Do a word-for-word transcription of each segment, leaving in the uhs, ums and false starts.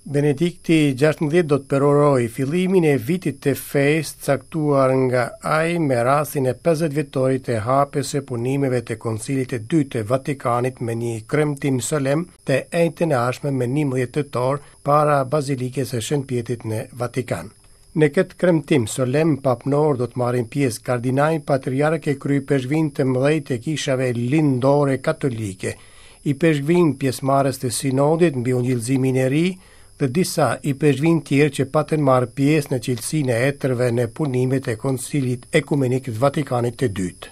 Benedikti gjashtëmbëdhjetë do të përurojë fillimin e vitit të fesë caktuar nga ai me rastin e pesëdhjetë vjetorit të hapjes së punimeve të Koncilit të Dytë të Vatikanit me një kremtim solemn të enjten e ardhshme me njëmbëdhjetë tetor para Bazilikës së Shën Pjetrit në Vatikan. Në këtë kremtim solemn papnor do të marrin pjesë kardinaj, patriarkë e kryepeshkvin të mëdhenj të kishave lindore katolike, i peshkvin pjesëmarrës të sinodit mbi ungjillëzimin e ri dhe disa i peshkvin tjerë që patën marrë pjesë në cilësinë e etërve në punimet e Koncilit Ekumenik të Vatikanit të Dytë.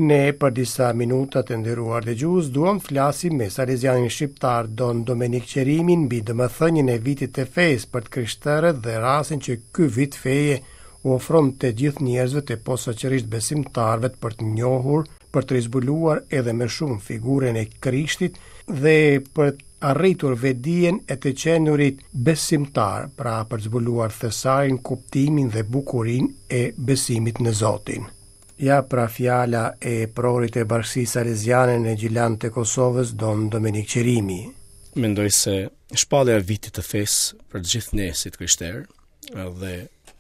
Ne për disa minuta të nderuar dëgjues duam të flasim me salezianin shqiptar Don Domenik Qerimin mbi domethënien e vitit të fesë për të krishterët dhe rastin që ky vit feje u ofron të gjithë njerëzve të posaçërisht besimtarëve për të njohur, për të rizbuluar edhe më shumë figurën e Krishtit dhe për të arritur vetdijen e të qenurit besimtar, pra për të zbuluar thesarin, kuptimin dhe bukurinë e besimit në Zotin. Ja pra fjala e prorit e Bashkësisë Saleziane në Gjilan të Kosovës, Don Domenik Qerimi. Mendoj se shpallja e vitit të fesë për të gjithë ne si të krishterë dhe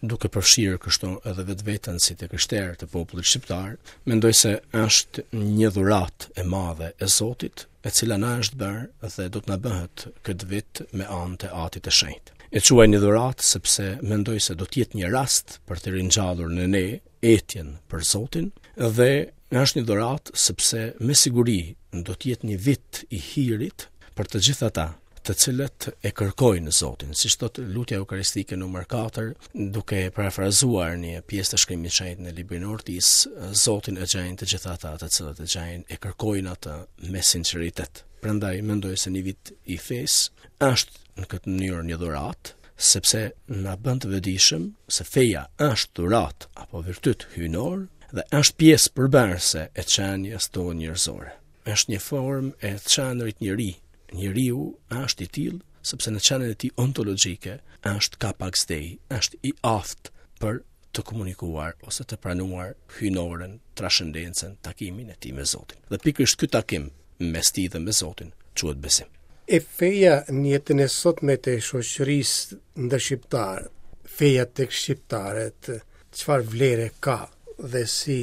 duke përfshirë kështu edhe vetveten si të krishterë të popullit shqiptar, mendoj se është një dhuratë e madhe e Zotit, e cila na është bërë dhe do të na bëhet këtë vit me anë të Atit të Shenjtë. E quaj një dhuratë sepse mendoj se do të jetë një rast për të ringjallur në ne etjen për Zotin dhe është një dhuratë sepse me siguri do të jetë një vit i hirit për të gjithë ata të cilët e kërkojnë Zotin, siç thotë lutja eukaristike numër katër, duke parafrazuar një pjesë të shkrimit të shenjtë në librin e Ortisë, Zotin e gjejnë të gjithë ata të cilët e gjejnë, e kërkojnë atë me sinqeritet. Prandaj mendoj se një vit i fesë është në këtë mënyrë një dhuratë, sepse na bën të vetëdijshëm se feja është dhuratë apo virtyt hyjnor dhe është pjesë përbërëse e qenies tonë njerëzore. Është një formë e të qenurit njeri. Njeriu është i tillë sepse në qenien e tij ontologjike është capax Dei, është i aftë për të komunikuar ose të pranuar hyjnoren, trashëndencën, takimin e tij me Zotin. Dhe pikërisht ky takim mes tij dhe me Zotin quhet besim. E feja në jetën e sotme të shoqërisë ndër shqiptar, feja tek shqiptarët, çfarë vlere ka dhe si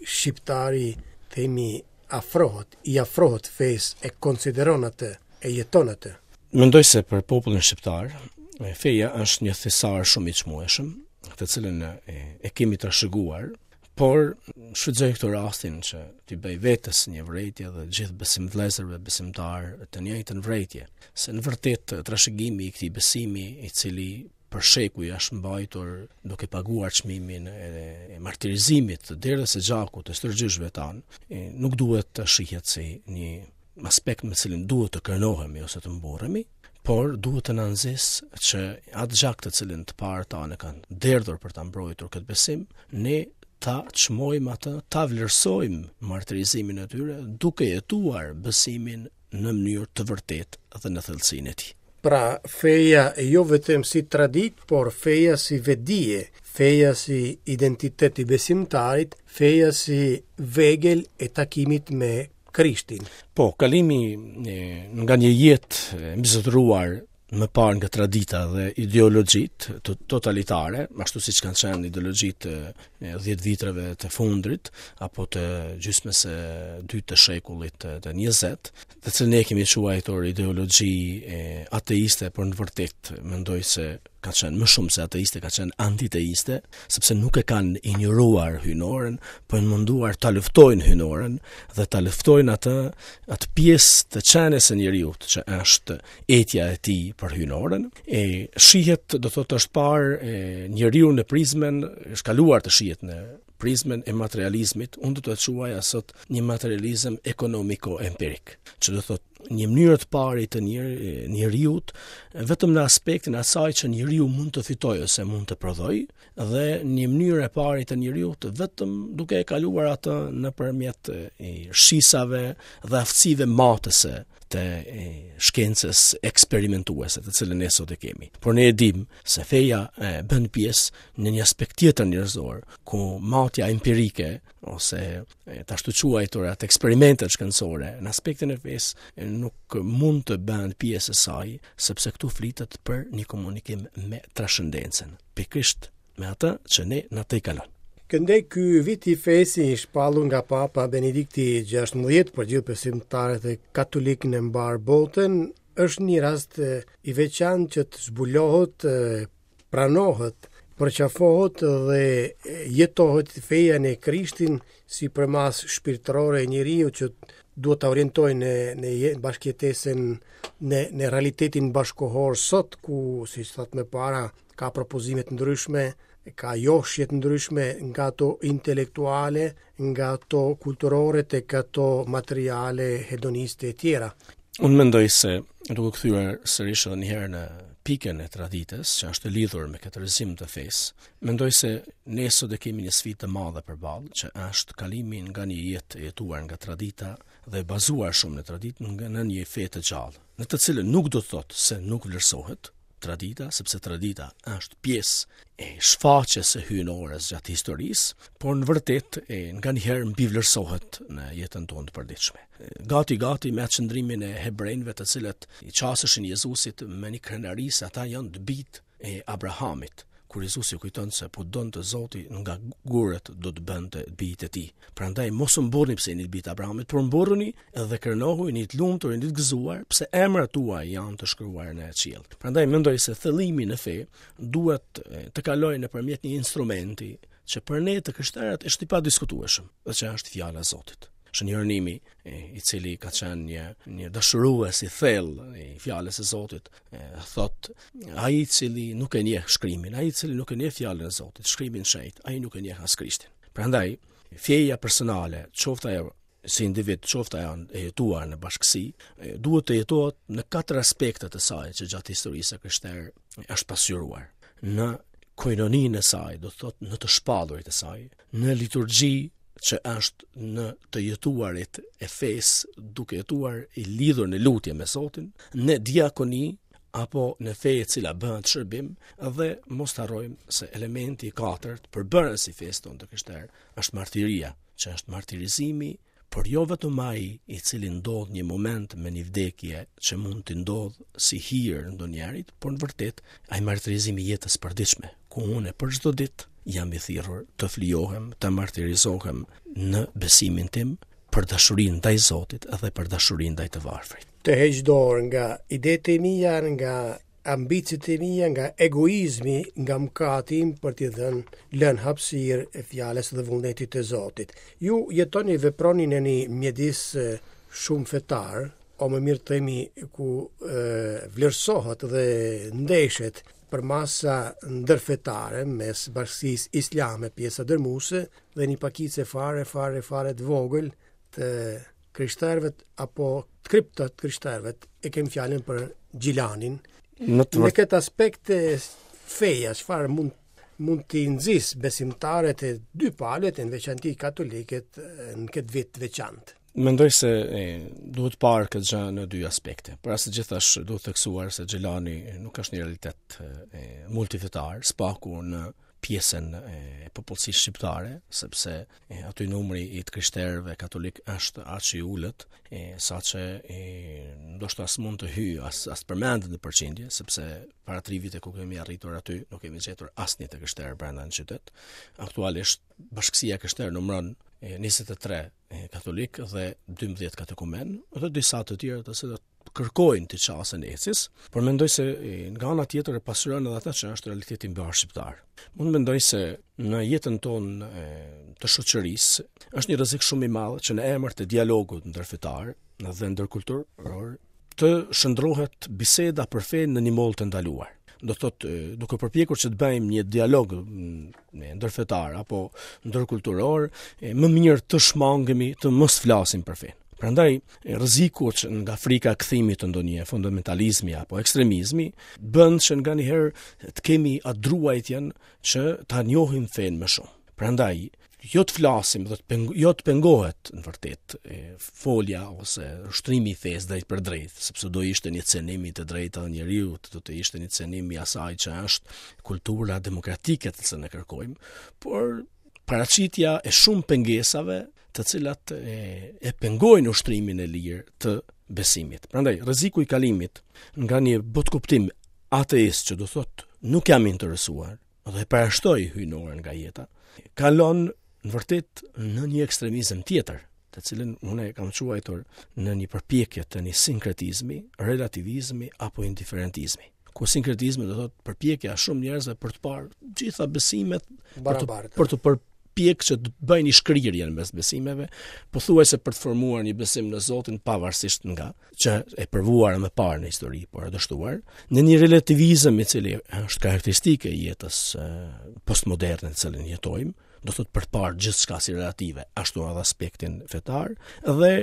shqiptari, themi, afrohet, i afrohet fesë, e konsideron atë, e jeton atë? Mendoj se për popullin shqiptar, feja është një thesar shumë i çmueshëm, të cilën e, e kemi trashëguar, por shfrytëzoj këtë rastin që t'i bëj vetes një vërejtje dhe gjithë besimvëllezërve besimtar të njëjtën vërejtje, se në vërtet trashëgimi i këtij besimi, i cili për shekuj është mbajtur duke paguar çmimin e, e martirizimit të derës së gjakut të stërgjyshëve tanë, e, nuk duhet të shihet si një aspekt me cilin duhet të krenohemi ose të mburremi, por duhet të na nxis që atë gjak të cilin të parët tanë kanë derdhur për ta mbrojtur këtë besim, ne ta çmojmë atë, ta vlerësojmë martirizimin e tyre duke jetuar besimin në mënyrë të vërtetë dhe në thellësinë e tij. Pra, feja jo vetëm si traditë, por feja si vetdije, feja si identitet i besimtarit, feja si vegël e takimit me Krishtin. Po, kalimi, e, nga një jetë e mbizotëruar më parë nga tradita dhe ideologjitë të totalitare, ashtu siç kanë qenë ideologjitë e dhjetë vitreve të fundit apo të gjysmës së dytë të shekullit të, të njëzet, të cilën ne kemi quajtur ideologji e, ateiste, por në vërtet mendoj se ka qenë më shumë se ateiste, ka qenë antiteiste, sepse nuk e kanë injoruar hyjnoren, po janë munduar ta luftojnë hyjnoren dhe ta luftojnë atë, atë pjesë të qenies së njeriut që është etja e tij për hyjnoren. E shihet, do thotë, është parë e, njeriu në prizmën, është kaluar të shihet në prizmën e materializmit, unë do të quaja sot një materializëm ekonomiko-empirik, që do thotë një mënyrë të pari të njer-, njeriut vetëm në aspektin asaj që njeriu mund të fitojë ose mund të prodhojë, dhe një mënyrë e pari të njeriut vetëm duke e kaluar atë nëpërmjet e shisave dhe aftësive matëse të shkencës eksperimentuese, të cilën ne sot e kemi. Por ne e dim se feja e, bën pjesë në një aspekt tjetër njerëzor, ku matja empirike ose të ashtu quajturat eksperimentet shkencore në aspektin e fesë nuk mund të bëhen pjesë e saj, sepse këtu flitet për një komunikim me trashëndencën, pikërisht me atë që ne na tejkalon. Këndej ky vit i fesë i shpallur nga Papa Benedikti gjashtëmbëdhjetë për gjithë besimtarët e katolikë në mbar botën është një rast i veçantë që të zbulohet, pranohet, përqafohet dhe jetohet feja në Krishtin si përmas shpirtërore e njeriu që duhet ta orientojë në në bashkëjetesën, në në realitetin bashkohor sot ku, siç thatë më para, ka propozime të ndryshme, ka joshje të ndryshme nga ato intelektuale, nga ato kulturore tek ato materiale, hedoniste e tjera. Unë mendoj se, duke kthyer sërish edhe një herë në pikën e traditës, që është e lidhur me këtë rrëzim të fesë, mendoj se ne sot e kemi një sfidë të madhe përballë, që është kalimi nga një jetë e jetuar nga tradita dhe e bazuar shumë në traditë nga në një fe të gjallë, në të cilën nuk do të thotë se nuk vlerësohet tradita, sepse tradita është pjesë e shfaqjes së hyjnores gjatë historisë, por në vërtet e nganjëherë mbivlerësohet në jetën tonë të përditshme. Gati gati me atë qëndrimin e hebrejve të cilët i qaseshin Jezusit me një krenari se ata janë të bijtë e Abrahamit, kur Jezusi kujton se po donte Zoti nga gurët do të bënte bijtë e tij. Prandaj mos u mburrni pse jeni bijtë e Abrahamit, por mburruni edhe krenohu, jeni të lumtur, jeni të gëzuar pse emrat tuaj janë të shkruar në qiell. Prandaj mendoj se thellimi në fe duhet të kalojë nëpërmjet një instrumenti që për ne të krishterët është i padiskutueshëm, dhe që është fjala e Zotit. Shën Jeronimi, i cili ka qenë një, një dashurues i thellë i fjalës së Zotit, thot, ai i cili nuk e njeh shkrimin, ai i cili nuk e njeh fjalën e Zotit, shkrimin shenjt, ai nuk e njeh as Krishtin. Prandaj, feja personale, qoftë ajo si individ, qoftë ajo e jetuar në bashkësi, duhet të jetohet në katër aspekte të saj që gjatë historisë së krishterë është pasqyruar. Në koinoninë e saj, do të thotë në të shpallurit e saj, në liturgji që është në të jetuarit e fesë, duke jetuar i lidhur në lutje me Zotin, në diakoni apo në fe e cila bëhet shërbim, dhe mos të harrojmë se elementi i katërt përbërës i fesë tonë të krishterë është martiria, që është martirizimi, por jo vetëm ai i cili ndodh një moment me një vdekje që mund të ndodh si hir ndonjërit, por në vërtet ai martirizimi i jetës përditshme, ku unë për çdo ditë jam i thirrur të flijohem, të martirizohem në besimin tim për dashurinë ndaj Zotit edhe për dashurinë ndaj të varfrit. Të heq dorë nga idetë e mia, nga ambiciet e mia, nga egoizmi, nga mëkati im për t'i dhënë lënë hapësirë e fjalës dhe vullnetit të Zotit. Ju jetoni veproni në një mjedis shumë fetar, o më mirë të themi ku e, vlerësohet dhe ndeshet për masa ndërfetare mes bashkësisë islame, pjesa dërmuese, dhe një pakice fare, fare, fare të vogël të krishterëve apo të kriptë të krishterëve, e kem fjalën për Gjilanin. Në të Në vërtet- këtë aspekt feja, çfarë mund, mund t'i nxis besimtarët e dy palët, në veçanti katolikët, në këtë vit të veçantë? Mendoj se e, duhet parë këtë gjë në dy aspekte. Para së gjithash duhet theksuar se Gjilani nuk është një realitet e, multifetar, spaku në pjesën e popullsisë shqiptare, sepse e, aty numri i të krishterëve katolik është aq i ulët, e, sa që e, ndoshta as mund të hyjë, as, as përmendet në përqindje, sepse para tri vite ku kemi arritur aty, nuk kemi gjetur asnjë të krishterë brenda në qytet. Aktualisht bashkësia e krishterë numëron e, njëzet e tre katolik dhe dymbëdhjetë katekumen, dhe disa të tjerë të cilët kërkojnë të qasen ecis, por mendoj se e, nga ana tjetër e pasqyron edhe atë që është realiteti mbar shqiptar. Unë mendoj se në jetën tonë e, të shoqërisë është një rrezik shumë i madh që në emër të dialogut ndërfetar dhe ndërkulturor të shndrohet biseda për fenë në një moll të ndaluar. Do thotë, e, duke përpjekur që të bëjmë një dialog, mm, ndërfetar apo ndërkulturor, e, më mirë të shmangemi të mos flasim për fenë. Prandaj, e, rreziku që nga frika e kthimit të ndonjë fundamentalizmi apo ekstremizmi bën që nganjëherë të kemi atë druajtjen që ta njohim fenë më shumë. Prandaj, jo të flasim dhe të peng-, jo të pengohet në vërtet e, folja ose ushtrimi i fesë drejt për drejt, sepse do ishte një cenim i të drejtave të njeriut, do të ishte një cenim i asaj që është kultura demokratike të cilën e kërkojmë, por paraqitja e shumë pengesave të cilat e, e pengojnë ushtrimin e lirë të besimit. Prandaj rreziku i kalimit nga një botëkuptim ateist që do thotë nuk jam interesuar dhe e parashtoj hyjnoren nga jeta, kalon në vërtet në një ekstremizëm tjetër, të cilin unë e kam quajtur në një përpjekje të një sinkretizmi, relativizmi apo indiferentizmi. Ku sinkretizmi do thotë përpjekja e shumë njerëzve për të parë gjitha besimet për të për të përpjekë që të bëjnë një shkrirje në mes besimeve, pothuajse për të formuar një besim në Zotin pavarësisht nga që e provuar më parë në histori, por e dështuar, në një relativizëm i cili është karakteristike e jetës postmoderne në cilën jetojmë, do thotë për të parë gjithçka si relative, ashtu edhe aspektin fetar, dhe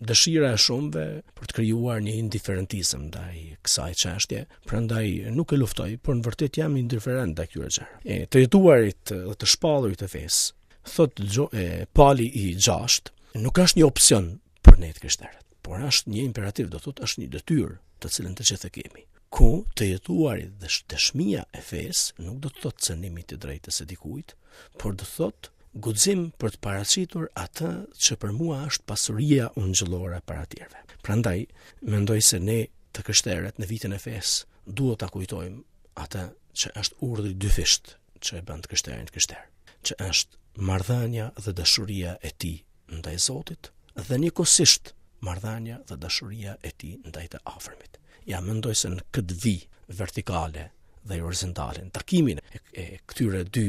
dëshira e shumëve për të krijuar një indiferentizëm ndaj kësaj çështje, prandaj nuk e luftoj, por në vërtet jam indiferent ndaj këtyre gjërave. E të jetuarit dhe të shpallurit të fesë, thot gjo, e, Pali i gjashtë, nuk është një opsion për ne të krishterët, por është një imperativ, do thotë është një detyrë të cilën të gjithë e kemi. Ku të jetuarit dhe dëshmia e fesë nuk do të thotë cënimi të drejtës së dikujt, por do të thotë guxim për të paraqitur atë që për mua është pasuria ungjillore para tjerëve. Prandaj mendoj se ne të krishterët në vitin e fesë duhet ta kujtojmë atë që është urdhri dyfisht që e bën të krishterin të krishterë, që është marrëdhënia dhe dashuria e tij ndaj Zotit dhe njëkohësisht marrëdhënia dhe dashuria e tij ndaj të afërmit. Ja mendoj se në këtë vijë vertikale dhe horizontale, në takimin e, e këtyre dy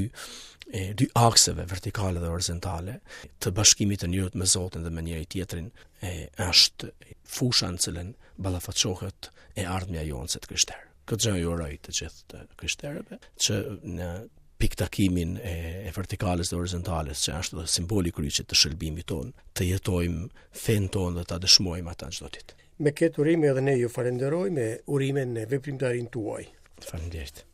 e, dy akseve vertikale dhe horizontale të bashkimit të njeriut me Zotin dhe me njëri tjetrin, e, është fusha në cilën ballafaqohet e ardhmja jonë si të krishterë. Këtë gjë ju uroj të gjithë të krishterëve që në piktakimin e, e vertikales dhe horizontales, që është dhe simboli i kryqit të shëlbimit tonë, të jetojmë fenë tonë dhe ta dëshmojmë ata çdo ditë. Me këtë urime edhe ne ju falenderojmë me urime në veprimtarinë tuaj. Faleminderit.